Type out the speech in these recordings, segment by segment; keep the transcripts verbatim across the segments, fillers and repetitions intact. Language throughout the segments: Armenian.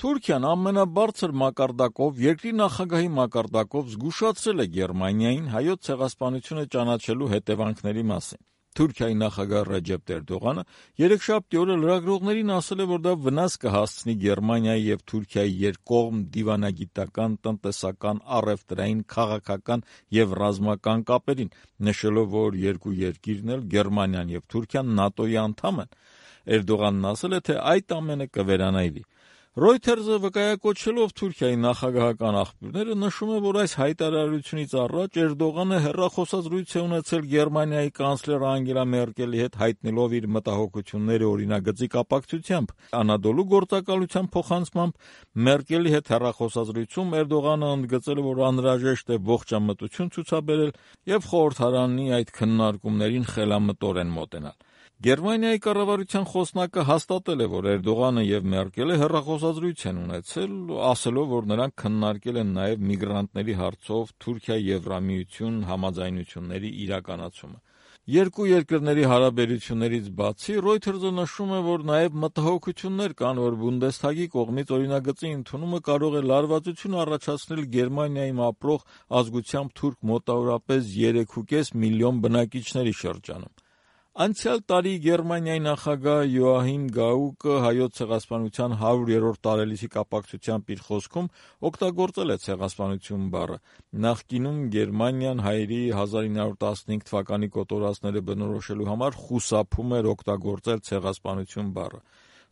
Թուրքիան ամենաբարձր մակարդակով, երկրի նախագահի մակարդակով զգուշացրել է Գերմանիային Հայոց ցեղասպանությունը ճանաչելու հետևանքների մասին։ Թուրքիայի նախագահ Ռեջեփ Էրդողանը երեքշաբթի օրը լրագրողներին ասել է, որ դա վնաս կհասցնի Գերմանիայի եւ Թուրքիայի երկկողմ դիվանագիտական, տնտեսական, առևտրային, քաղաքական եւ ռազմական կապերին, նշելով, որ երկու երկիրն էլ, Գերմանիան եւ Թուրքիան, ՆԱՏՕ-ի անդամ են։ Էրդողանն ասել է, թե այդ ամենը կվերանայվի։ Reuters-ը վկայակոչելով Թուրքիայի նախագահական աղբյուրները նշում է, որ այս հայտարարությունից առաջ Էրդողանը հեռախոսազրույց է ունեցել Գերմանիայի կանցլեր Անգելա Մերկելի հետ, հայտնելով իր մտահոգությունները օրինագծի կապակցությամբ։ Անադոլու գործակալության փոխանցմամբ Մերկելի հետ հեռախոսազրույցում Էրդողանը ընդգծել է, որ անհրաժեշտ է ողջամտություն ցուցաբերել եւ խորհրդարանի այդ քննարկումներին խելամտորեն մոտենալ։ Գերմանիայի կառավարության խոսնակը հաստատել է, որ Էրդողանը եւ Մերկելը հեռախոսազրույց են ունեցել, ասելով, որ նրանք քննարկել են նաեւ միգրանտների հարցով Թուրքիա-Եվրամիություն համաձայնությունների իրականացումը։ Երկու երկրների հարաբերություններից բացի Reuters-ը նշում է, որ նաեւ մտահոգություններ կան, որ Բունդեսթագի կողմից օրինագծի ընդունումը կարող է լարվածություն առաջացնել Գերմանիայում ապրող ազգությամբ թուրք մոտավորապես երեք կόμμα պենս միլիոն բնակիչների շրջանում։ Անցյալ տարի Գերմանիայի նախագահ Յոահիմ Գաուկը Հայոց ցեղասպանության հարյուրերորդ տարելիցի կապակցությամբ իր խոսքում օգտագործել է ցեղասպանություն բառը։ Նախկինում Գերմանիան հայերի հազար ինը հարյուր տասնհինգ թվականի կոտորածները բնորոշելու համար խուսափում էր օգտագործել ցեղասպանություն բառը։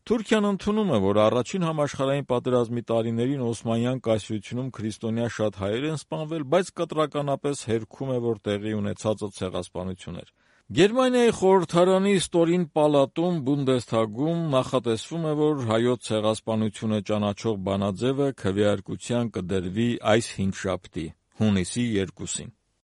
Թուրքիան ընդունում է, որ առաջին համաշխարհային պատերազմի տարիներին Օսմանյան կայսրությունում քրիստոնյա շատ հայեր են սպանվել, բայց կտրականապես հերքում է, որ տեղի ունեցածը ցեղասպանություն էր։ Գերմանիայի խորհրդարանի ստորին պալատում Բունդեսթագում նախատեսվում է, որ հայոց ցեղասպանությունը ճանաչող բանաձևը քվեարկության կդրվի այս հինգշաբթի՝ հունիսի երկուսին։